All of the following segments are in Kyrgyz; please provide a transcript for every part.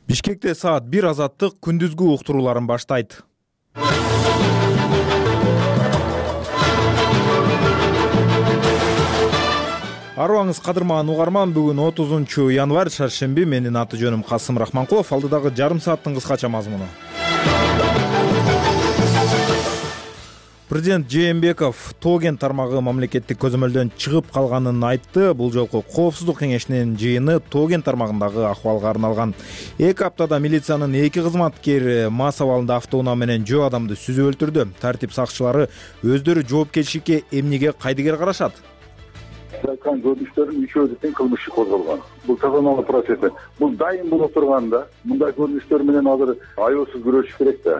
Бишкекте саат 1 азаттык күндүзгү уктурууларын баштайт. Арыбаңыз кадырман угарман, бүгүн 30 январь шаршемби. Менин аты жөнүм Касым Рахманкулов. Алдыдагы жарым сааттын кыскача мазмуну. Президент Жээнбеков тоо кен тармагы мамлекеттик көзөмөлдөн чыгып калганын айтты. Бул жолку коопсуздук кеңешинин жыйыны тоо кен тармагындагы акыбалга арналган. 2 аптада милициянын 2 кызматкери мас абалында автоунаа менен жөө адамды сүзүп өлтүрдү. Тартип сакчылары өздөрү жоопкерчиликке эмнеге кайдыгер карашат? Айткан көрүнүштөрдүн үчөө тең кылмыш иши козголгон. Бул тазалоо процесси. Бул дайым болуп турганда, мындай көрүнүштөр менен азыр аеосуз күрөшүш керек да.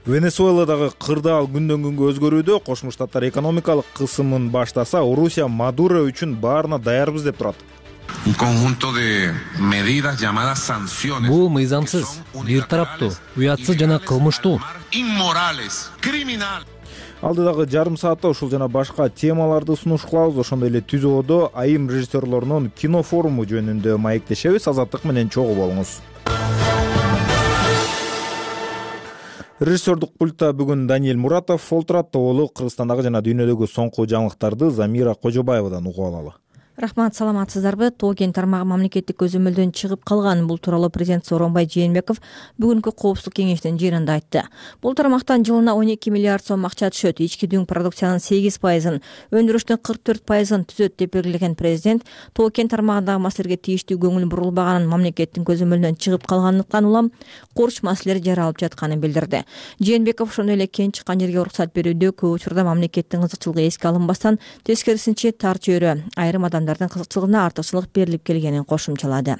Венесуэладагы кырдаал күндөн күнгө өзгөрүүдө. Кошмо Штаттар экономикалык кысымын баштаса, Орусия Мадуро үчүн баарына даярбыз деп турат. Бул мыйзамсыз, бир тараптуу, уятсыз жана кылмыштуу. Алдыдагы жарым саатта ушул жана башка темаларды сунуш кылабыз. Ошондой эле түзөөдө айым режиссерлорунун кино форуму жөнүндө маектешебиз. Азаттык менен чогуу болуңуз. Режиссердук пультта бүгүн Даниэль Муратов олтурат. Оолу Кыргызстандагы жана дүйнөдөгү соңку жаңылыктарды Замира Кожобаевадан угуп алалы. Рахмат, саламатсыздарбы? Тоо кен тармагы мамлекеттик көзөмөлдөн чыгып калган. Бул тууралуу президент Сооронбай Жээнбеков бүгүнкү коопсуздук кеңешинин жыйынында айтты. Бул тармактан жылына 12 миллиард сом акча түшөт. Ички дүң продукциянын 8%, өндүрүштүн 44%ын түзөт деп белгилеген президент тоо кен тармагындагы маселелерге тийиштүү көңүл бурулбаганын, мамлекеттин көзөмөлдөн чыгып калганлыктан улам курч маселелер жаралып жатканын билдирди. Жээнбеков ошондой эле кен чыккан жерге уруксат берүүдө көп учурда мамлекеттин кызыкчылыгы эске алынбастан, тескерисинче тар чөйрө айрым адамдардын кызыкчылыгына артыкчылык берилип келгенин кошумчалады.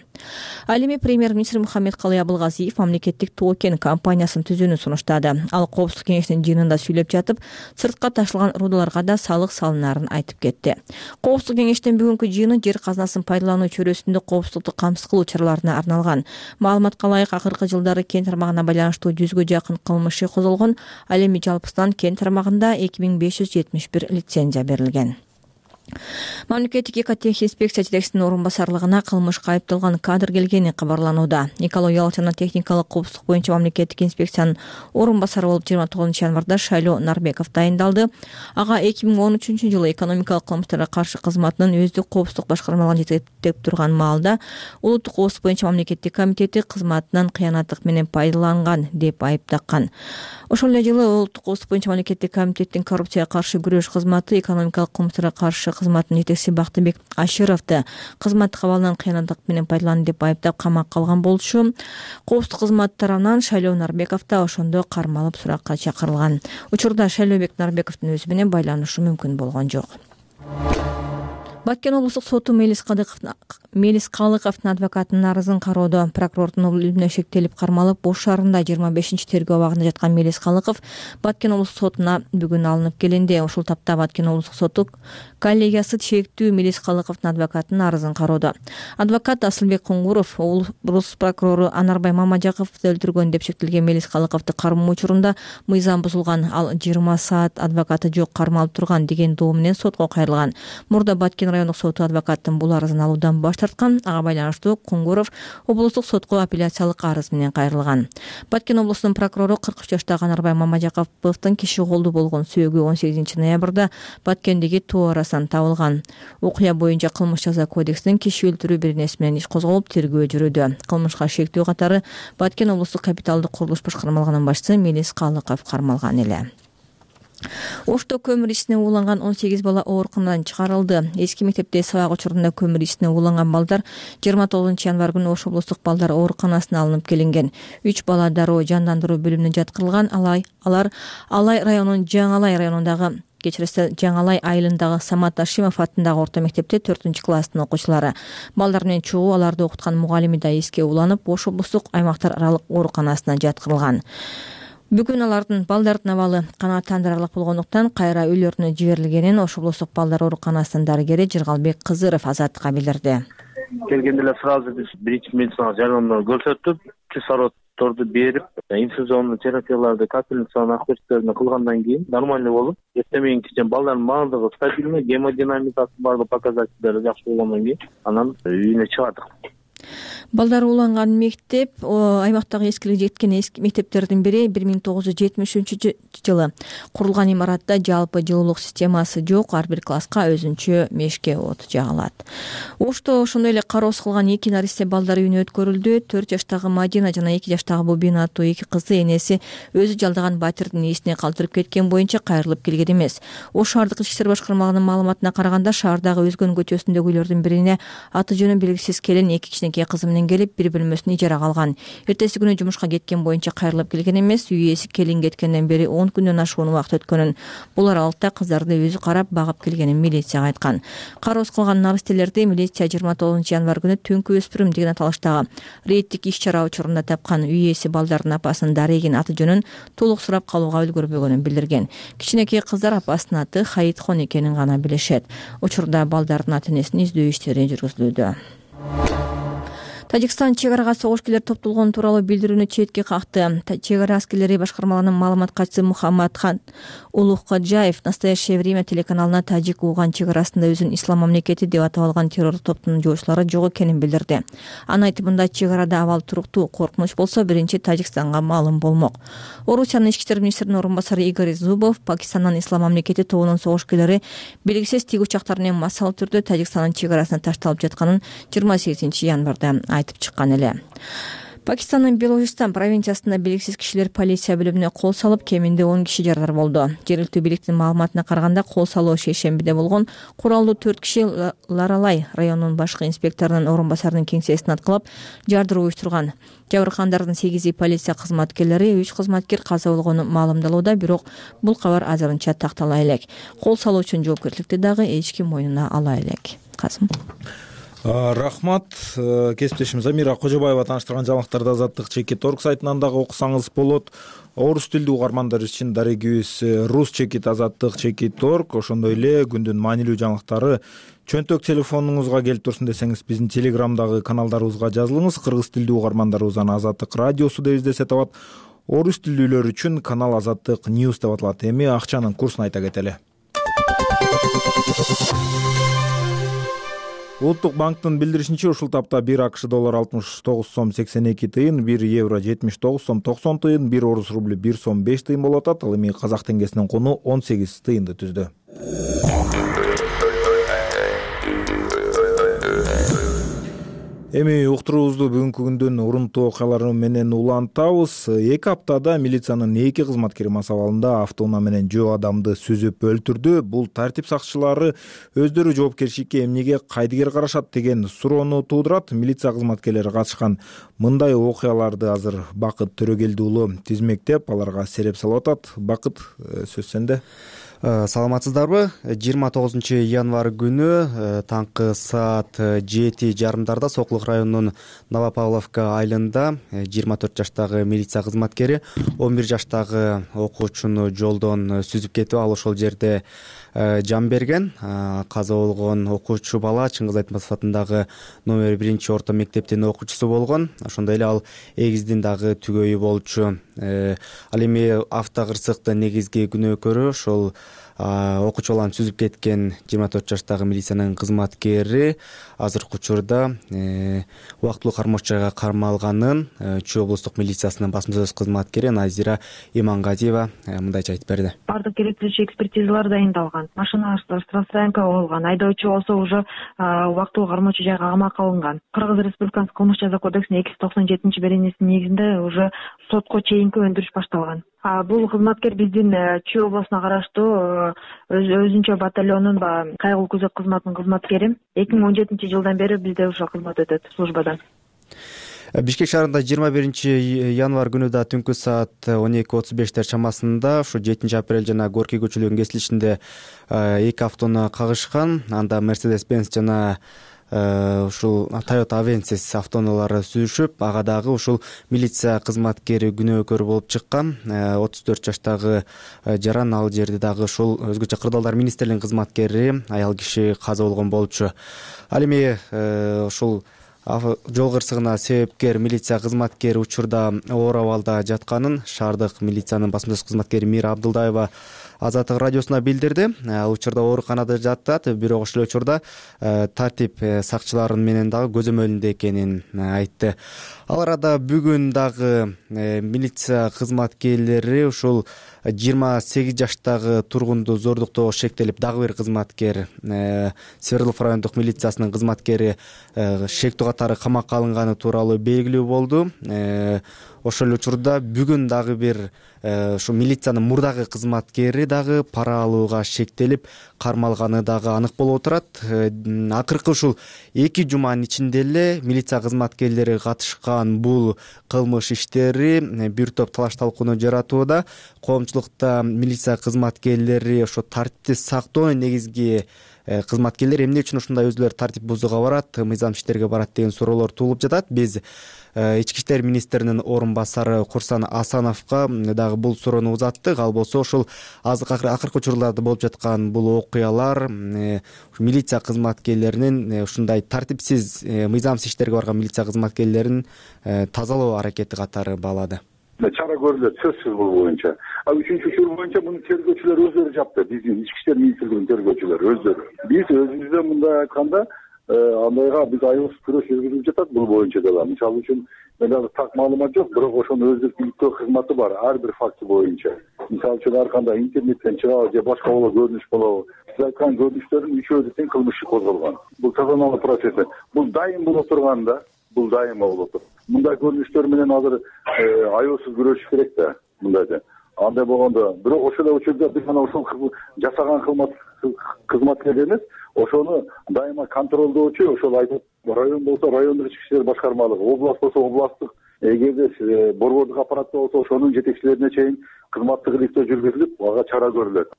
Ал эми премьер-министр Мухаммедкалый Абылгазиев мамлекеттик тоо кен компаниясын түзүүнү сунуштады. Ал коопсуздук кеңешинин жыйынында сүйлөп жатып, сыртка ташылган рудаларга да салык салынарын айтып кетти. Коопсуздук кеңештин бүгүнкү жыйыны жер казынасын пайдалануу чөйрөсүндө коопсуздукту камсыз кылуу чараларына арналган. Маалыматка ылайык, акыркы жылдары кен тармагына байланыштуу 100гө жакын кылмыш иши козголгон. Ал эми жалпысынан кен тармагында 2571 лицензия берилген. Мамлекеттик экотехинспекция жетекчисинин орун басарлыгына кылмышка айыпталган кадр келгени кабарланууда. Экологиялык жана техникалык коопсуздук боюнча мамлекеттик инспекциянын орун басары болуп 29 январда Шайлоо Нарбеков дайындалды. Ага 2013 жылы экономикалык кылмыштарга каршы кызматынын өздүк коопсуздук башкармалыгын жетектеп турган маалда улуттук коопсуздук боюнча мамлекеттик комитети кызматынан кыянаттык менен пайдаланган деп айыптаган. Ошол эле жылы улуттук коопсуздук боюнча мамлекеттик комитеттин коррупцияга каршы күрөш кызматы экономикалык кылмыштарга каршы кызматынын жетекчиси Бактыбек Ашировду кызматтык абалынан кыянаттык менен пайдаланды деп айыптап камакка алган болчу. Коопсуздук кызмат тарабынан Шайлоо Нарбеков да ошондо кармалып суракка чакырылган. Учурда Шайлообек Нарбековдун өзү менен байланышы мүмкүн болгон жок. Баткен облустук соту Мелис Калыковдун адвокатынын арызын кароодо. Прокурордун өлүмүнө шектелип кармалып, Ош шаарында 25 тергөө абагында жаткан Мелис Калыков Баткен облустук сотуна бүгүн алынып келинди. Ушул тапта Баткен облустук соту коллегиясы шектүү Мелис Калыковдун адвокатынын арызын кароодо. Адвокат Асылбек Куңгуров облус прокурору Анарбай Мамажаковду өлтүргөн деп шектелген Мелис Калыковду кармоо учурунда мыйзам бузулган, ал 20 саат адвокаты жок кармалып турган деген доо менен сотко кайрылган. Мурда Баткен райондук соту адвокаттын бул арызын алуудан баш тарткан. Ага байланыштуу Куңгуров облустук сотко апелляциялык арыз менен кайрылган. Баткен облусунун прокурору 43 жаштагы Анарбай Мамажаковдун киши колду болгон сөөгү 18 ноябрда Баткендеги тоо арасынан табылган. Окуя боюнча кылмыш жаза кодексинин киши өлтүрүү беренеси менен иш козголуп, тергөө жүрүүдө. Кылмышка шектүү катары Баткен облустук капиталдык курулуш башкармалыгынын башчысы Мелис Калыков кармалган эле. Ошто көмүр ичине ууланган 18 бала ооруканадан чыгарылды. Эски мектепте сабак учурунда көмүр ичине ууланган балдар 29 январь күнү Ош облустук балдар ооруканасына алынып келинген. 3 бала дароо жандандыруу бөлүмүнө жаткырылган. Алар Алай районунун Жаңалай айылындагы Самат Ашимов атындагы орто мектепте 4-класстын окуучулары. Балдар менен чогуу аларды окуткан мугалими да эске ууланып, Ош облустук аймактар аралык ооруканасына жаткырылган. Бүгүн алардын балдардын абалы канааттандырарлык болгондуктан кайра үйлөрүнө жиберилгенин Ош облустук балдар ооруканасынын дарыгери Жыргалбек Кызыров Азаттыкка билдирди. Келгенде эле сразу биз биринчи медициналык жардамды көрсөтүп, кислороддорду берип, инфузиондуу терапияларды, капельницаны акыртырды кылгандан кийин нормальный болуп, эртемеңки балдардын баардыгы стабильный, гемодинамикасы баардык показательдери жакшы болгондон кийин анан үйүнө чыгардык. Балдары уланган мектеп аймактагы эскилиги жеткен мектептердин бири 1973 курулган имаратта жалпы жылуулук системасы жок, ар бир класска өзүнчө мешке от жагылат. Ошто ошондой эле кароосуз калган 2 наристе балдар үйүнө өткөрүлдү. 4 жаштагы Мадина жана 2 жаштагы Бубина аттуу 2 кызды энеси өзү жалдаган батирдин ээсине калтырып кеткен боюнча кайрылып келген эмес. Ош шаардык ички иштер башкармалыгынын маалыматына караганда, шаардагы Өзгөн көчөсүндөгү үйлөрдүн бирине аты жөнү белгисиз келин 2 кичинекей кызы менен келип, бир бөлмөсүн ижарага алган. Эртеси күнү жумушка кеткен боюнча кайрылып келген эмес. Үй ээси келин кеткенден бери 10 күндөн ашуун убакыт өткөнүн, бул аралыкта кыздарды өзү карап багып келгенин милицияга айткан. Кароосуз калган наристелерди милиция 29 январь күнү түнкү өспүрүм деген аталыштагы рейдтик иш-чара учурунда тапкан. Үй ээси балдардын апасынын Дарегин аты жөнүн толук сурап калууга үлгүрбөгөнүн билдирген. Кичинекей кыздар апасынын аты Хаитхон экенин гана билишет. Учурда балдардын ата-энесин издөө иштери жүргүзүлүүдө. Тажикстан чек арага согушкерлер топтолгону тууралуу билдирүүнү четке какты. Чек ара аскерлери башкармалыгынын маалымат катчысы Мухаммадхан Улуккаджаев «Настоящее время» телеканалына Тажик-Уган чек арасында өзүн ислам мамлекети деп атап алган террор топтунун жоочулары жок экенин билдирди. Анын айтымында, чек арада абал туруктуу, коркунуч болсо биринчи Тажикстанга маалым болмок. Орусиянын ички иштер министринин орун басары Игорь Зубов Пакистандын ислам мамлекети тобунун согушкерлери белгисиз тиг учактар менен массалуу түрдө Тажикстандын чек арасына ташталып жатканын 28 январда айтып чыккан эле. Пакистандын Белужистан провинциясында белгисиз кишилер полиция бөлүмүнө кол салып, кеминде 10 киши жаралар болду. Жергиликтүү бийликтин маалыматына караганда, кол салуу шейшембиде болгон. Куралдуу 4 киши Ларалай районунун башкы инспекторунун орун басарынын кеңсесин аткылап, жардыруу уюштурган. Жабыркандардын 8 полиция кызматкерлери, 3 кызматкер каза болгону маалымдалууда, бирок бул кабар азырынча тактала элек. Кол салуу үчүн жоопкерчиликти дагы эч ким мойнуна ала элек. Касым. Рахмат. Кесиптешим Замира Кожобаева тааныштырган жаңылыктарды Азаттык.org сайтынан дагы окусаңыз болот. Орус тилдүү угармандар үчүн дарегибиз Rus.chekit Azаттык.org. Ошондой эле күндүн маанилүү жаңылыктары чөнтөк телефонуңузга келип турсун десеңиз, биздин телеграмдагы каналдарыбызга жазылыңыз. Кыргыз тилдүү угармандарыбыз аны Азаттык радиосу деп издесе табат. Орус тилдүүлөр үчүн канал Азаттык News деп аталат. Эми акчанын курсун айта кетели. Улуттук банктын билдиришинче, ушул тапта 1 АКШ доллар 69 сом 82 тыйын, 1 евро 79 сом 90 тыйын, 1 орус рубль 1 сом 5 тыйын болуп атат. Ал эми казак теңгесинин куну 18 тыйынды түздү. Эми уктуруубузду бүгүнкү күндүн урунтуу окуялары менен улантабыз. 2 аптада милициянын 2 кызматкери мас абалында автоунаа менен жөө адамды сүзүп өлтүрдү. Бул тартип сакчылары өздөрү жоопкерчиликке эмнеге кайдыгер карашат деген суроону туудурат. Милиция кызматкерлери катышкан мындай окуяларды азыр Бакыт Төрөгелди уулу тизмектеп, аларга сереп салып атат. Бакыт, сөз сенде. Саламатсыздарбы? 29 январь күнү таңкы саат 7:30 Сокулук районунун Новопавловка айылында 24 жаштагы милиция кызматкери 11 жаштагы окуучуну жолдон сүзүп кетип, ал ошол жерде жан берген. Каза болгон окуучу бала Чыңгыз Айтматов атындагы номер 1 орто мектептин окуучусу болгон. Ошондой эле ал эгиздин дагы түгөйү болчу. Ал эми автокырсыктын негизги күнөөкөрү ошол окуучу баланы сүзүп кеткен 24 жаштагы милициянын кызматкери азыркы учурда убактылуу кармоочу жайга кармалганын Чүй облустук милициясынын басма сөз кызматкери Назира Имангазиева мындайча айтып берди. Бардык керектүүчү экспертизалар дайындалган. Машина штрафстоянка болгон. Айдоочу болсо уже убактылуу кармоочу жайга камакка алынган. Кыргыз Республикасынын кылмыш жаза кодексинин 297 беренесинин негизинде уже сотко чейинки өндүрүш башталган. Бул кызматкер биздин Чүй областына караштуу өзүнчө батальонунун кайгылуу күзөт кызматынын кызматкери. 2017 жылдан бери бизде ушул кызмат өтөт службада. Бишкек шаарында 21 январь күнү да түнкү саат 12:35 чамасында ушу 7 апрель жана Горький көчөлөрүнүн кесилишинде 2 автоунаа кагышкан. Анда Mercedes-Benz жана ушул Toyota Avensis автоунаалары сүзүшүп, ага дагы ушул милиция кызматкери күнөөкөр болуп чыккан. 34 жаштагы жаран, ал жерде дагы ушул өзгөчө кырдаалдар министрлигинин кызматкери аял киши каза болгон болчу. Ал эми ушул жол кырсыгына себепкер милиция кызматкери учурда оор абалда жатканын шаардык милициянын басма сөз кызматкери Мира Абдылдаева Азаттык радиосуна билдирди. Ал учурда ооруканада жатат, бирок ошол учурда тартип сакчылары менен дагы көзөмөлүндө экенин айтты. Ал арада бүгүн дагы милиция кызматкерлери ушул 28 жаштагы тургунду зордуктоого шектелип, дагы бир кызматкер, Свердлов райондук милициясынын кызматкери шектүү катары камакка алынганы тууралуу белгилүү болду. Ошол учурда бүгүн дагы бир ушу милициянын мурдагы кызматкери дагы пара алууга шектелип кармалганы дагы анык болуп отурат. Акыркы ушул 2 жуманын ичинде эле милиция кызматкерлери катышкан бул кылмыш иштери бир топ талаш талкууну жаратууда. Коомчулукта милиция кызматкерлери ошо тартипти сактоонун негизги кызматкерлер эмне үчүн ушундай өзүлөрү тартип бузууга барат, мыйзам иштерге барат деген суроолор туулуп жатат. Биз Ички иштер министринин орун басары Курсан Асановго дагы бул суроону узаттык. Ал болсо ушул акыркы учурларда болуп жаткан бул окуялар милиция кызматкерлеринин ушундай тартипсиз мыйзамсыз иштерге барган милиция кызматкерлерин тазалоо аракети катары баалады. Чара көрүлөт сөзсүз бул боюнча. Үчүнчү учур боюнча муну тергөөчүлөр өздөрү жапты. Биздин Ички иштер министрлигинин тергөөчүлөрү өздөрү. Биз өзүбүздөн мындай айтканда андайга биз аябыз күрөш жүргүзүп жатат бул боюнча дагы. Мисалы үчүн мен азыр так маалымат жок, бирок ошону өздүк иликтөө кызматы бар ар бир факти боюнча. Мисалы үчүн ар кандай интернеттен чыгабы же башка болобу көрүнүш болобу, сиз айткан көрүнүштөрдүн үчөөдө тең кылмыш иши козголгон. Бул тазалоо процесси. Бул дайым болуп турган да, бул дайым болуп тур. Мындай көрүнүштөр менен азыр аябыз күрөшүш керек да, мындайда. Андай болгондо, бирок ошол учурда биз мына ушул жасаган кызматкер эмес, ошону дайыма контролдоочу, ошол айтып район болсо райондук ички иштер башкармалыгы, область болсо областтык, эгерде борбордук аппаратта болсо ошонун жетекчилерине чейин кызматтык иликтөө жүргүзүлүп, ага чара көрүлөт.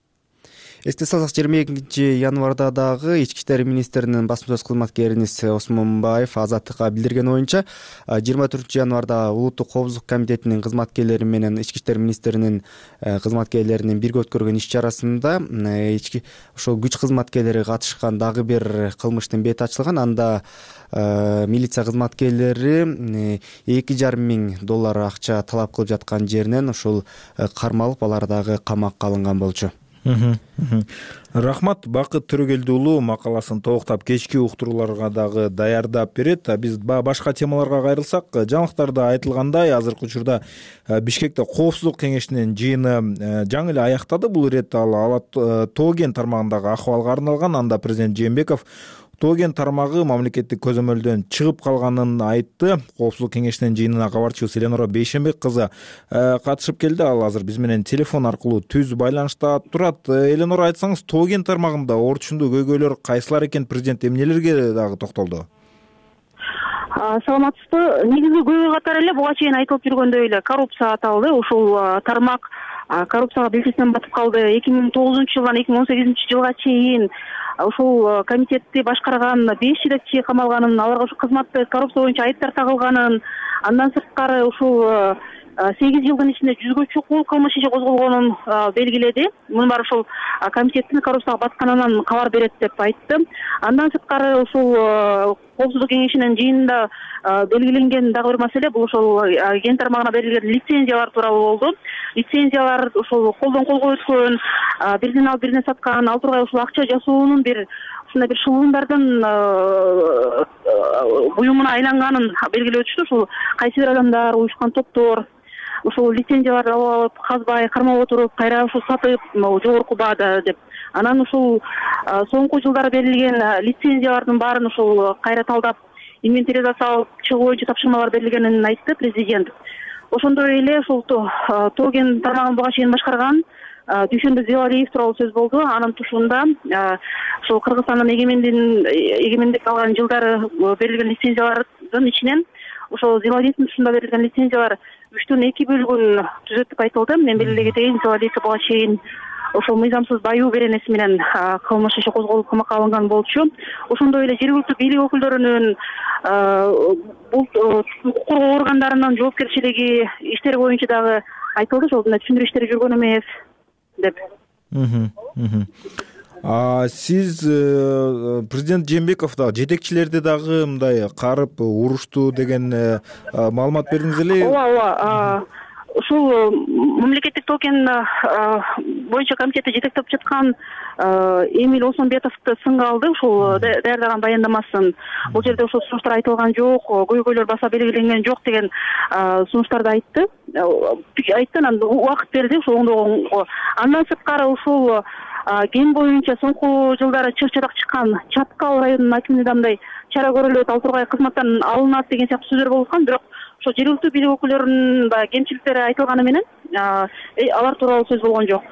Эсте салсак, 22-январда дагы Ички иштер министринин басма сөз кызматкеринис Осмонбаев Азаттыкка билдирген оюнча 24-январда улуттук коопсуздук комитетинин кызматкерлери менен Ички иштер министринин кызматкерлеринин бирге өткөргөн иш чарасында ошол күч кызматкерлери катышкан дагы бир кылмыштын бети ачылган. Анда милиция кызматкерлери $2,500 акча талап кылып жаткан жеринен ушул кармалып, алар дагы камакка алынган болчу. Рахмат. Бакыт Төрөгелди уулу макаласын толуктап кечки уктурууларга дагы даярдап берет. Биз башка темаларга кайрылсак, жаңылыктарда айтылгандай, азыркы учурда Бишкекте коопсуздук кеңешинин жыйыны жаңы эле аяктады. Бул ирет ал Тоо кен тармагындагы акыбалга арналган. Анда президент Жээнбеков Тоо кен тармагы мамлекеттик көзөмөлдөн чыгып калганын айтты. Коопсуздук кеңешинин жыйынына кабарчыбыз Эленора Бейшенбек кызы катышып келди. Ал азыр биз менен телефон аркылуу түз байланышта турат. Эленора, айтсаңыз, Тоо кен тармагында орчундуу көйгөйлөр кайсылар экен? Президент эмнелерге дагы токтолду? Саламатсызбы. Негизги көйгөй катары эле буга чейин айтылып жүргөндөй эле коррупция аталды. Ушул тармак коррупцияга белгисинен батып калды. 2009-жылдан 2018-жылга чейин ушул комитетти башкарган 5 жетекчи камалганын, аларга ушул кызматты коррупция боюнча айыптар тагылганын, андан сырткары ушул 8 жылдын ичинде 100гө чукул кылмыш иши козголгонун белгиледи. Муну баары ушул комитеттин коррупцияга батканынан кабар берет деп айтты. Андан сырткары ушул коопсуздук кеңешинин жыйынында белгиленген дагы бир маселе бул ошол кен тармагына берилген лицензиялар тууралуу болду. Лицензиялар ушул колдон колго өткөн, бирден алып бирден саткан, ал тургай ушул акча жасоонун бир ушундай бир шылуундардын буюмуна айланганын белгилеп өтүштү. Ушул кайсы бир адамдар, уюшкан топтор ушул лицензияларды алып, казбай, кармап отуруп, кайра ушул сатып, жогорку баада деп. Анан ушул соңку жылдары берилген лицензиялардын баарын ушул кайра талдап, инвентаризация чыгуу боюнча тапшырмалар берилгенин айтты президент. Ошондой эле ушул Тоо кен тармагын буга чейин башкарган Дүйшөнбек Зелалиев тууралуу сөз болду. Анын тушунда ушул Кыргызстандын эгемендик алган жылдары берилген лицензиялардын ичинен ошол Зелалиевдин тушунда берилген лицензиялар 3/2 бөлүгүн түзөт деп айтылды. Мен белгилей кетейин, Зелалиевке буга чейин ошол мыйзамсыз баюу беренеси менен кылмыш иши козголуп камакка алынган болчу. Ошондой эле жергиликтүү бийлик өкүлдөрүнүн бул укук коргоо органдарынын жоопкерчилиги иштери боюнча дагы айтылды. Ошол түшүндүрүү иштери жүргөн эмес деп. Сиз президент Жээнбеков дагы жетекчилерди дагы мындай карып урушту деген маалымат бердиңиз эле. Ооба. Ушул мамлекеттик Тоо кен боюнча комитетти жетектеп жаткан Эмиль Осмонбетовду сынга алды ушул даярдаган баяндамасын. Бул жерде ошол сунуштар айтылган жок, көйгөйлөр баса белгиленген жок деген сунуштарды айтты. Анан убакыт берди ошол оңдогонго. Андан сырткары ушул ген боюнча соңку жылдары чыр-чырак чыккан Чаткал районунун акимине мындай чара көрүлөт, ал тургай кызматтан алынат деген сыяктуу сөздөр болуп аткан. Бирок ошо жергиликтүү бийлик өкүлдөрүнүн баягы кемчиликтери айтылганы менен алар тууралуу сөз болгон жок.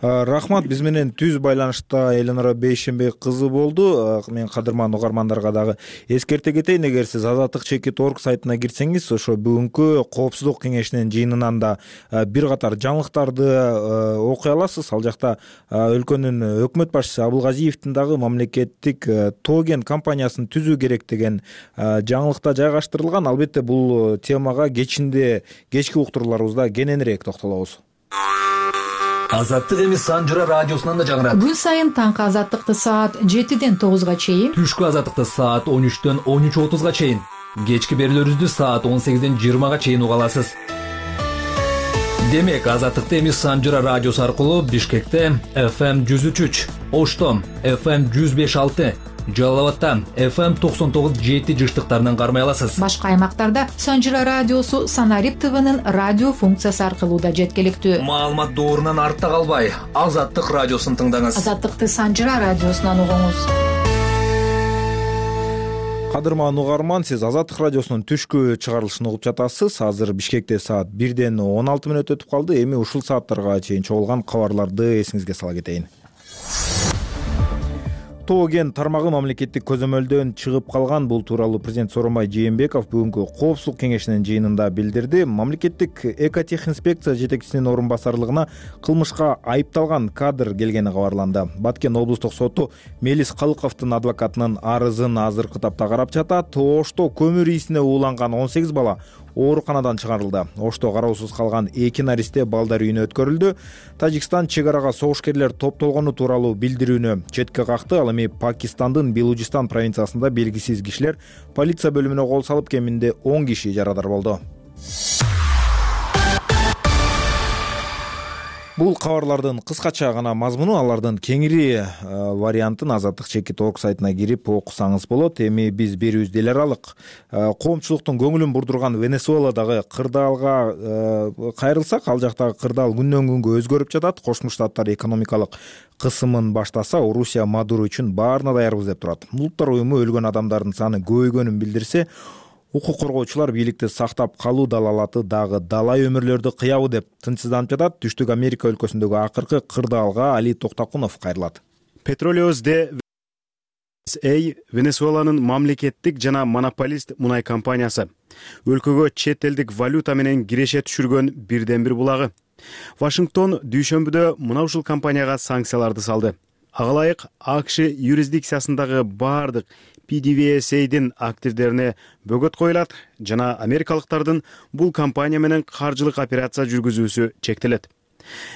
Рахмат, биз менен түз байланышта Эленора Бейшенбек кызы болду. Мен кадырман угармандарга дагы эскерте кетейин, эгер сиз azatlyk.org сайтына кирсеңиз, ошо бүгүнкү коопсуздук кеңешинин жыйынынан да бир катар жаңылыктарды окуй аласыз. Ал жакта өлкөнүн өкмөт башчысы Абылгазиевдин дагы мамлекеттик Тоген компаниясын түзүү керек деген жаңылыкта жайгаштырылган. Албетте бул темага кечки уктурууларыбызда кененирээк токтолобуз. Азаттык эми Санжыра радиосунан да жаңырат. Күн сайын таңкы азаттыкты саат 7-ден 9-га чейин, түшкү азаттыкты саат 13-төн 13:30-га чейин, кечки берүүлөрүбүздү саат 18-ден 20-га чейин уга аласыз. Демек, азаттыкты эми Санжыра радиосу аркылуу Бишкекте FM 103, Ошто FM 105.6, Жалал Абадта FM 99.7 жыштыктарынан кармай аласыз. Башка аймактарда Санжыра радиосу Санарип ТВнын радио функциясы аркылуу да жеткиликтүү. Маалымат доорунан артта калбай, Азаттык радиосун тыңдаңыз. Азаттыкты Санжыра радиосунан угуңуз. Кадырман угарман, сиз Азаттык радиосунун түшкү чыгарылышын угуп жатасыз. Азыр Бишкекте саат 1-ден 16 мүнөт өтүп калды. Эми ушул сааттарга чейин чогулган кабарларды эсиңизге сала кетейин. Тоген тармагы мамлекеттик көзөмөлдөн чыгып калган. Бул тууралуу президент Сооронбай Жээнбеков бүгүнкү коопсуздук кеңешинин жыйынында билдирди. Мамлекеттик экотехинспекция жетекчисинин орун басарлыгына кылмышка айыпталган кадр келгени кабарланды. Баткен облустук соту Мелис Калыковдун адвокатынын арызын азыркы тапта карап жатат. Ошто көмүр исине ууланган 18 бала ооруканадан чыгарылды. Ошто кароосуз калган 2 наристе балдар үйүнө өткөрүлдү. Тажикстан чек арага согушкерлер топтолгону тууралуу билдирүүнү четке какты. Ал эми Пакистандын Белужистан провинциясында белгисиз кишилер полиция бөлүмүнө кол салып, кеминде 10 киши жарадар болду. Бул кабарлардын кыскача гана мазмуну, алардын кеңири вариантын azatlyk.org сайтына кирип окусаңыз болот. Эми биз берүүбүздү эл аралык коомчулуктун көңүлүн бурдурган Венесуэладагы кырдаалга кайрылсак, ал жактагы кырдаал күндөн күнгө өзгөрүп жатат. Кошмо Штаттар экономикалык кысымын баштаса, Орусия Мадуро үчүн баарына даярбыз деп турат. Улуттар уюму өлгөн адамдардын саны көбөйгөнүн билдирсе, укук коргоочулар бийликти сактап калуу далалаты дагы далай өмүрлөрдү кыябы деп тынчсызданып жатат. Түштүк Америка өлкөсүндөгү акыркы кырдаалга Али Токтакунов кайрылат. Petroleos de Венесуэланын мамлекеттик жана монополист мунай компаниясы. Өлкөгө чет элдик валюта менен киреше түшүргөн бирден бир булагы. Вашингтон дүйшөмбүдө мына ушул компанияга санкцияларды салды. Ага ылайык АКШ юрисдикциясындагы бардык PDVSA'дин активдерине бөгөт коюлат жана америкалыктардын бул компания менен каржылык операция жүргүзүүсү чектелет.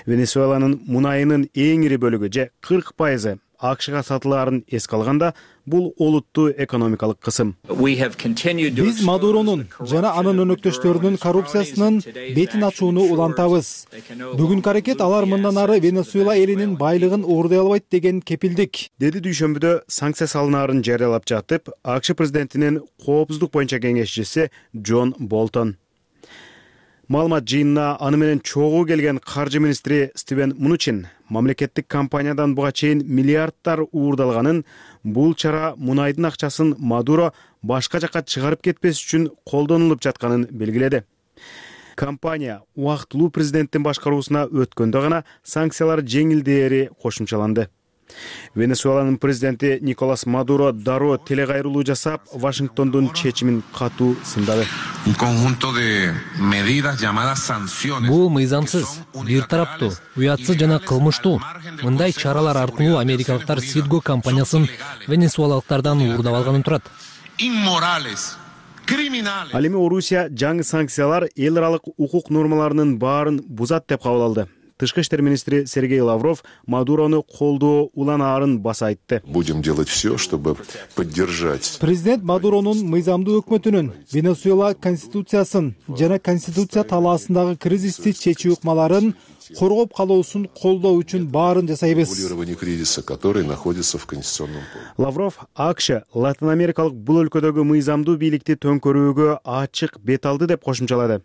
Венесуэланын мунайынын эң ири бөлүгү же 40% АКШга сатылаарын эске алганда, бул олуттуу экономикалык кысым. Биз Мадуронун жана анын өнөктөштөрүнүн коррупциясынын бетин ачууну улантабыз. Бүгүнкү аракет алар мындан ары Венесуэла элинин байлыгын уурдай албайт деген кепилдик, деди дүйшөмбүдө санкция салынаарын жарыялап жатып АКШ президентинин коопсуздук боюнча кеңешчиси Джон Болтон. Маалымат жыйынына аны менен чогуу келген каржы министри Стивен Мнучин мамлекеттик компаниядан буга чейин миллиардтар уурдалганын, бул чара мунайдын акчасын Мадуро башка жакка чыгарып кетпес үчүн колдонулуп жатканын белгиледи. Компания убактылуу президенттин башкаруусуна өткөндө гана санкциялар жеңилдээри кошумчаланды. Венесуэланын президенти Николас Мадуро дароо телекайрылуу жасап, Вашингтондун чечимин катуу сындады. Бул мыйзамсыз, бир тараптуу, уятсыз жана кылмыштуу. Мындай чаралар аркылуу америкалыктар Сидго компаниясын венесуэлалыктардан уурдап алганын турат. Ал эми Орусия жаңы санкциялар эл аралык укук нормаларынын баарын бузат деп кабыл алды. Тышкы иштер министри Сергей Лавров Мадурону колдоо уланаарын баса айтты. Будем делать все, чтобы поддержать. Президент Мадуронун мыйзамдуу өкмөтүнүн Венесуэла конституциясын жана конституция талаасындагы кризисти чечүү ыкмаларын коргоп калуусун колдоо үчүн баарын жасайбыз. Кризиса, который находится в конституционном поле. Лавров АКШ Латын Америкалык бул өлкөдөгү мыйзамдуу бийликти төңкөрүүгө ачык бет алды деп кошумчалады.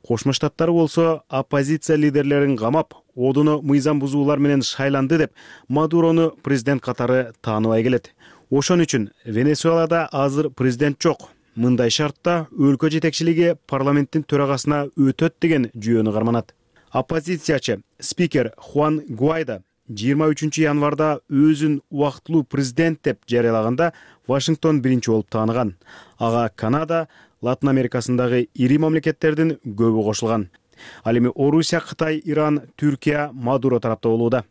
Кошмо Штаттар болсо оппозиция лидерлерин камап, одуну мыйзам бузуулар менен шайланды деп Мадурону президент катары тааныбай келет. Ошон үчүн Венесуэлада азыр президент жок. Мындай шартта өлкө жетекчилиги парламенттин төрагасына өтөт деген жүйөнү карманат. Оппозициячы спикер Хуан Гуайдо 23 январда өзүн убактылуу президент деп жарыялаганда Вашингтон биринчи болуп тааныган. Ага Канада, Латын Америкасындагы ири мамлекеттердин көбү кошулган. Ал эми Орусия, Кытай, Иран, Түркия Мадуро тарапта болууда.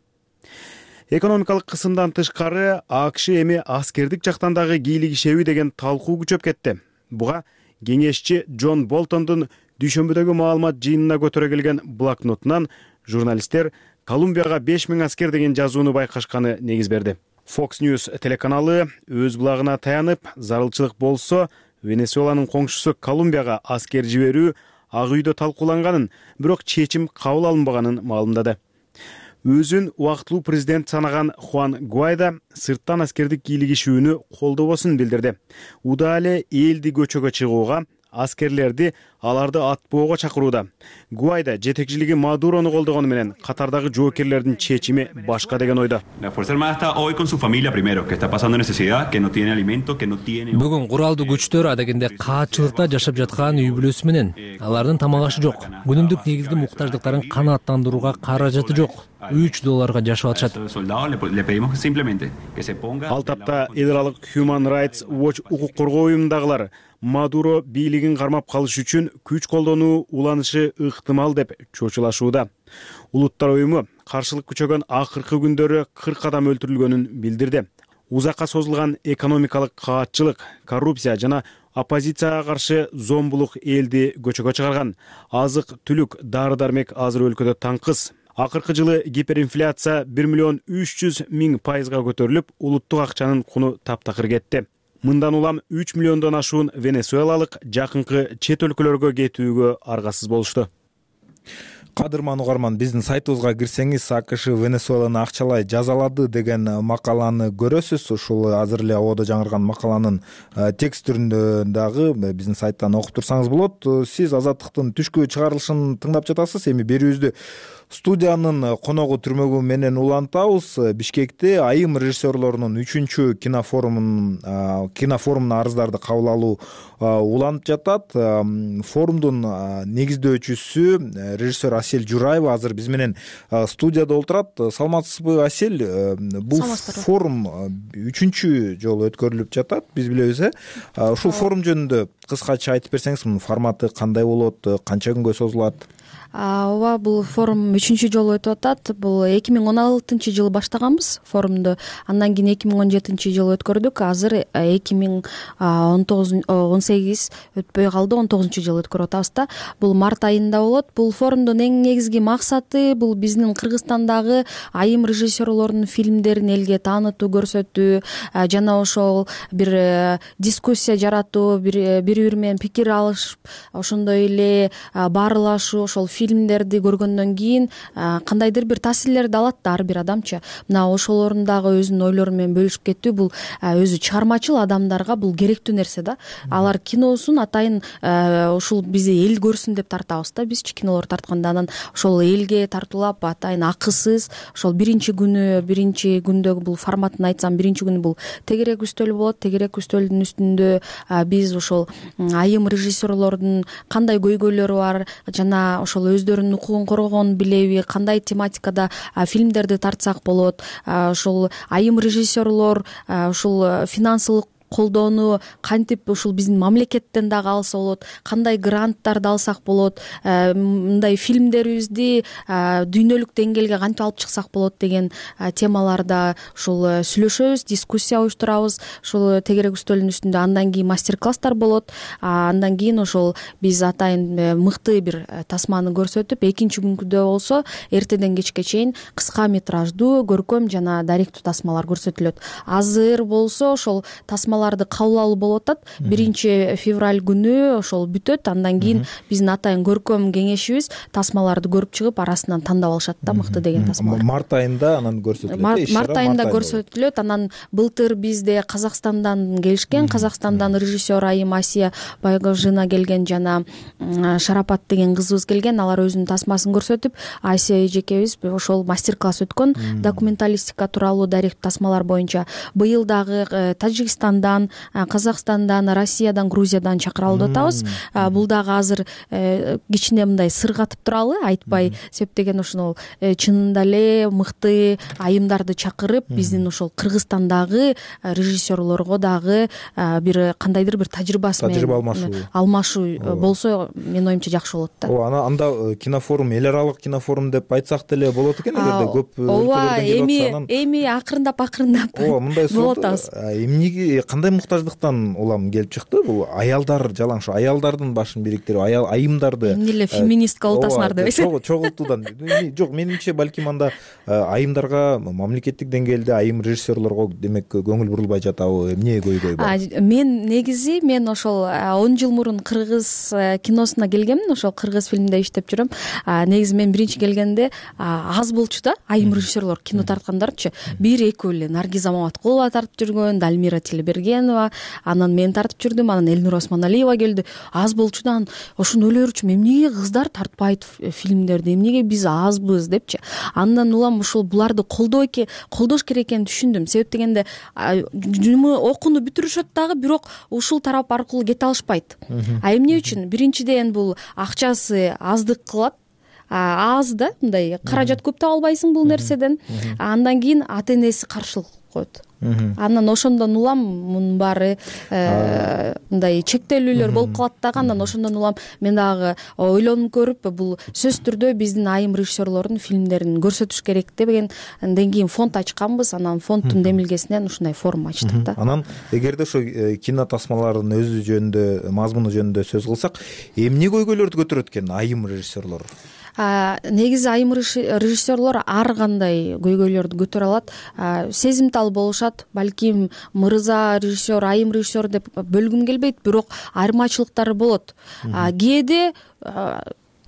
Экономикалык кысымдан тышкары АКШ эми аскердик жактан дагы кийлигишеби деген талкуу күчөп кетти. Буга кеңешчи Джон Болтондун дүйшөмбүдөгү маалымат жыйынына көтөрө келген блокнотунан журналисттер Колумбияга 5000 аскер деген жазууну байкашканы негиз берди. Fox News телеканалы өз булагына таянып, зарылчылык болсо Венесуэланын коңшусу Колумбияга аскер жиберүү Ак үйдө талкууланганын, бирок чечим кабыл алынбаганын маалымдады. Өзүн убактылуу президент санаган Хуан Гуайдо сырттан аскердик кийлигишүүнү колдобосун билдирди. Уда эле элди көчөгө чыгууга, аскерлерди аларды атпоого чакырууда. Гуайдо жетекчилиги Мадурону колдогону менен катардагы жоокерлердин чечими башка деген ойдо. Бүгүн куралдуу күчтөр адегенде каатчылыкта жашап жаткан үй бүлөсү менен. Алардын тамак ашы жок. Күнүмдүк негизги муктаждыктарын канааттандырууга каражаты жок. $3 жашап атышат. Ал тапта эл аралык Human Rights Watch укук коргоо уюмундагылар Мадуро бийлигин кармап калыш үчүн күч колдонуу уланышы ыктымал деп чочулашууда. Улуттар уюму каршылык күчөгөн акыркы күндөрү 40 адам өлтүрүлгөнүн билдирди. Узакка созулган экономикалык каатчылык, коррупция жана оппозицияга каршы зомбулук элди көчөгө чыгарган. Азык-түлүк, дары-дармек азыр өлкөдө таңкыс. Акыркы жылы гиперинфляция 1,3 миллион% көтөрүлүп, улуттук акчанын куну таптакыр кетти. Мындан улам 3 миллиондон ашуун венесуэлалык жакынкы чет өлкөлөргө кетүүгө аргасыз болушту. Кадырман угарман, биздин сайтыбызга кирсеңиз АКШ Венесуэланы акчалай жазалады деген макаланы көрөсүз. Ушул азыр эле абоодо жаңырган макаланын текст түрүндө дагы биздин сайттан окуп турсаңыз болот. Сиз Азаттыктын түшкү чыгарылышын тыңдап жатасыз. Эми берүүбүздү студиянын коногу түрмөгү менен улантабыз. Бишкекте айым режиссерлорунун 3-чү кинофорумуна арыздарды кабыл алуу уланып жатат. Форумдун негиздөөчүсү режиссер Асель Жураева азыр биз менен студияда отурат. Саламатсызбы, Асель? Бул форум 3-чү жолу өткөрүлүп жатат, биз билебиз. Ушул форум жөнүндө кыскача айтып берсеңиз, мунун форматы кандай болот, канча күнгө созулат? Ооба, бул форум 3-чү жолу өтүп атат. Бул 2016-жылы баштаганбыз форумду. Андан кийин 2017-жылы өткөрдүк. Азыр 2018 өтпөй калды, 19-жылы өткөрүп атабыз да. Бул март айында болот. Бул форумдун эң негизги максаты бул биздин Кыргызстандагы айым режиссерлордун фильмдерин элге таанытуу, көрсөтүү жана ошол бир дискуссия жаратуу, бири-бири менен пикир алышып, ошондой эле баарылашуу, ошол фильмдерди көргөндөн кийин кандайдыр бир таасирлерди алат да ар бир адамчы. Мына ошолорун дагы өзүнүн ойлору менен бөлүшүп кетүү бул өзү чыгармачыл адамдарга бул керектүү нерсе да. Алар киносун атайын ушул бизди эл көрсүн деп тартабыз да. Бизчи кинолор тартканда анан ошол элге тартуулап атайын акысыз ошол биринчи күндөгү бул форматын айтсам, биринчи күнү бул тегерек үстөл болот. Тегерек үстөлдүн үстүндө биз ошол айым режиссерлордун кандай көйгөйлөрү бар жана ошол өздөрүнүн укугун коргогонун билеби, кандай тематикада фильмдерди тартсак болот, ошол айым режиссерлор ушул финансылык колдоону кантип ушул биздин мамлекеттен дагы алса болот, кандай гранттарды алсак болот, мындай фильмдерибизди дүйнөлүк деңгээлге кантип алып чыксак болот деген темаларда ушул сүйлөшөбүз, дискуссия уюштурабыз. Ушул тегерек үстөлдүн үстүндө андан кийин мастер-класстар болот. Андан кийин ошол биз атайын мыкты бир тасманы көрсөтүп, экинчи күндө болсо эртеден кечке чейин кыска метраждуу, көркөм жана даректүү тасмалар көрсөтүлөт. Азыр болсо ошол тасмалар тасмаларды кабыл алуу болуп атат. 1-февраль күнү ошол бүтөт. Андан кийин биздин атайын көркөм кеңешибиз тасмаларды көрүп чыгып арасынан тандап алышат да мыкты деген тасмалар. Март айында анан көрсөтүлөт. Март айында көрсөтүлөт. Анан былтыр бизде Казакстандан келишкен, Казакстандан режиссер айым Асия Байгожина келген, жана Шарапат деген кызыбыз келген. Алар өзүнүн тасмасын көрсөтүп, Асия эжекебиз ошол мастер-класс өткөн документалистика тууралуу дарек тасмалар боюнча. Быйыл дагы Тажикстандан, Казакстандан, Россиядан, Грузиядан чакыра алып атабыз. Бул дагы азыр кичине мындай сыр катып туралы, айтпай, себеп деген ошол чынында эле мыкты айымдарды чакырып, биздин ошол Кыргызстандагы режиссерлорго дагы бир кандайдыр бир тажрыйба алмашуу болсо, менин оюмча жакшы болот да. Ооба, анда кинофорум, эл аралык кинофорум деп айтсак деле болот экен, эгерде көп өлкөлөрдөн келип атса. Эми акырындап болуп атабыз. Эмнеге, кандай муктаждыктан улам келип чыкты? Бул аялдар жалаң ушу аялдардын башын бириктирип, айымдарды эмне эле феминистка болуп атасыңар дебейсиз? Чогултуудан. Жок, менимче балким анда айымдарга мамлекеттик деңгээлде айым режиссерлорго демек көңүл бурулбай жатабы? Эмне көйгөй бар? Мен ошол 10 жыл мурун кыргыз киносуна келгемин, ошол кыргыз фильмде иштеп жүрөм. Негизи мен биринчи келгенде аз болчу да айым режиссерлор кино тарткандарчы. 1-2 эле Наргиз Амаматкулова тартып жүргөн, Дальмира Телебергенова, анан мен тартып жүрдүм, анан Элнур Осмоналиева келди. Аз болчу да, ошону ойлойрчумун, эмнеге кыздар тартпайт фильмдерди, эмнеге биз азбыз депчи. Андан улам ушул буларды колдош керек экенин түшүндүм. Себеп дегенде окууну бүтүрүшөт дагы, бирок ушул тарап аркылуу кете алышпайт. Эмне үчүн? Биринчиден бул акчасы аздык кылат. Аз да, мындай каражат көп таба албайсың бул нерседен. Андан кийин ата-энеси каршылык коет. Анан ошондон улам мунун баары мындай чектелүүлөр болуп калат дагы. Андан ошондон улам мен дагы ойлонуп көрүп, бул сөзсүз түрдө биздин айым режиссерлордун фильмдерин көрсөтүш керек дегенден кийин фонд ачканбыз. Анан фонддун демилгесинен ушундай форум ачтык да. Анан эгерде ошо кино тасмаларынын өзү жөнүндө, мазмуну жөнүндө сөз кылсак, эмне көйгөйлөрдү көтөрөт экен айым режиссерлор? Негизи айым режиссерлор ар кандай көйгөйлөрдү көтөрө алат. Сезимтал болушат. Балким мырза режиссер, айым режиссер деп бөлгүм келбейт, бирок айырмачылыктары болот. Кээде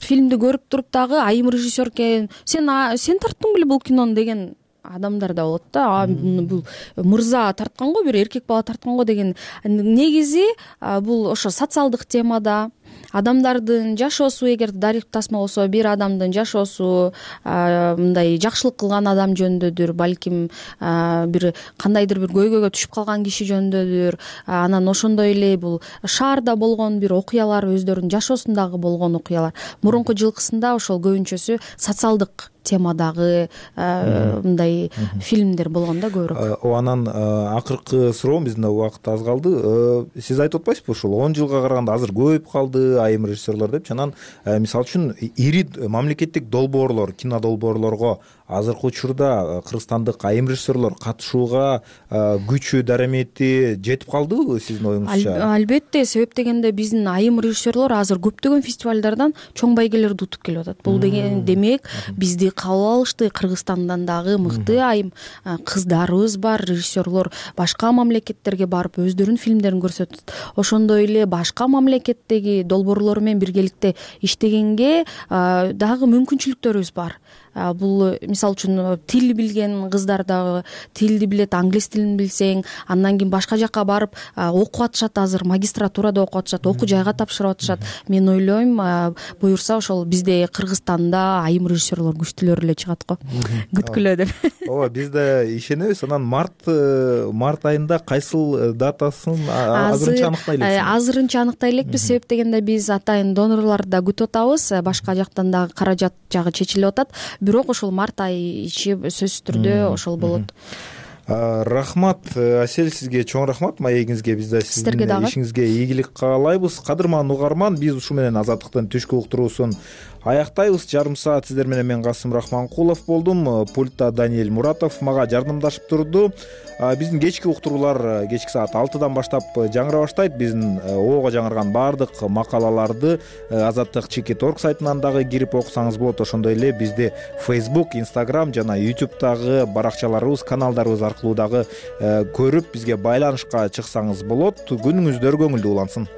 фильмди көрүп туруп дагы айым режиссер экен, сен тарттың беле бул кинону деген адамдар да болот да. Бул мырза тарткан го, бир эркек бала тарткан го деген. Негизи бул ошо социалдык темада, адамдардын жашоосу, эгер дарек тасма болсо, бир адамдын жашоосу, мындай жакшылык кылган адам жөнүндөдүр, балким бир кандайдыр бир көйгөйгө түшүп калган киши жөнүндөдүр. Анан ошондой эле бул шаарда болгон бир окуялар, өздөрүнүн жашоосундагы болгон окуялар. Мурунку жылкысында ошол көбүнчөсү социалдык темадагы мындай фильмдер болгон да көбүрөөк. Анан акыркы суроом, биздин убакыт аз калды. Сиз айтып атпайсызбы, ушул 10 жылга караганда азыр көбөйүп калды айым режиссерлор депчи. Анан мисалы үчүн ири мамлекеттик долбоорлор, кино долбоорлорго азыркы учурда кыргызстандык айым режиссерлор катышууга күчү, дарамети жетип калдыбы сиздин оюңузча? Албетте, себеп дегенде биздин айым режиссерлор азыр көптөгөн фестивалдардан чоң байгелерди утуп келип атат. Бул деген демек бизди кабыл алышты. Кыргызстандан дагы мыкты айым кыздарыбыз бар, режиссерлор башка мамлекеттерге барып өздөрүнүн фильмдерин көрсөтөт. Ошондой эле башка мамлекеттеги долбоорлор менен биргеликте иштегенге дагы мүмкүнчүлүктөрүбүз бар. Бул мисалы үчүн тил билген кыздар дагы тилди билет, англис тилин билсең, андан кийин башка жакка барып окуп атышат. Азыр магистратурада окуп атышат, окуу жайга тапшырып атышат. Мен ойлойм, буюрса ошол бизде Кыргызстанда айым режиссерлор күчтүүлөр эле чыгат го. Күткүлө деп. Ооба, биз да ишенебиз. Анан март айында кайсыл датасын азырынча аныктай элексиз? Азырынча аныктай элекпиз, себеп дегенде биз атайын донорлорду да күтүп атабыз. Башка жактан дагы каражат жагы чечилип атат. Бирок ошол март айы ичи сөзсүз түрдө ошол болот. Рахмат, Асель, сизге чоң рахмат маегиңизге. Биз да сиздин ишиңизге ийгилик каалайбыз. Кадырман угарман, биз ушу менен Азаттыктын түшкү уктуруусун аяктайбыз. Жарым саат сиздер менен мен Касым Рахманкулов болдум. Пультта Даниэль Муратов мага жардамдашып турду. Биздин кечки уктуруулар кечки саат 6-дан баштап жаңыра баштайт. Биздин ого жаңырган баардык макалаларды Азаттык.org сайтынан дагы кирип окусаңыз болот. Ошондой эле бизде Facebook, Instagram жана YouTube'дагы баракчаларыбыз, каналдарыбыз аркылуу дагы көрүп бизге байланышка чыксаңыз болот. Күнүңүздөр көңүлдүү улансын.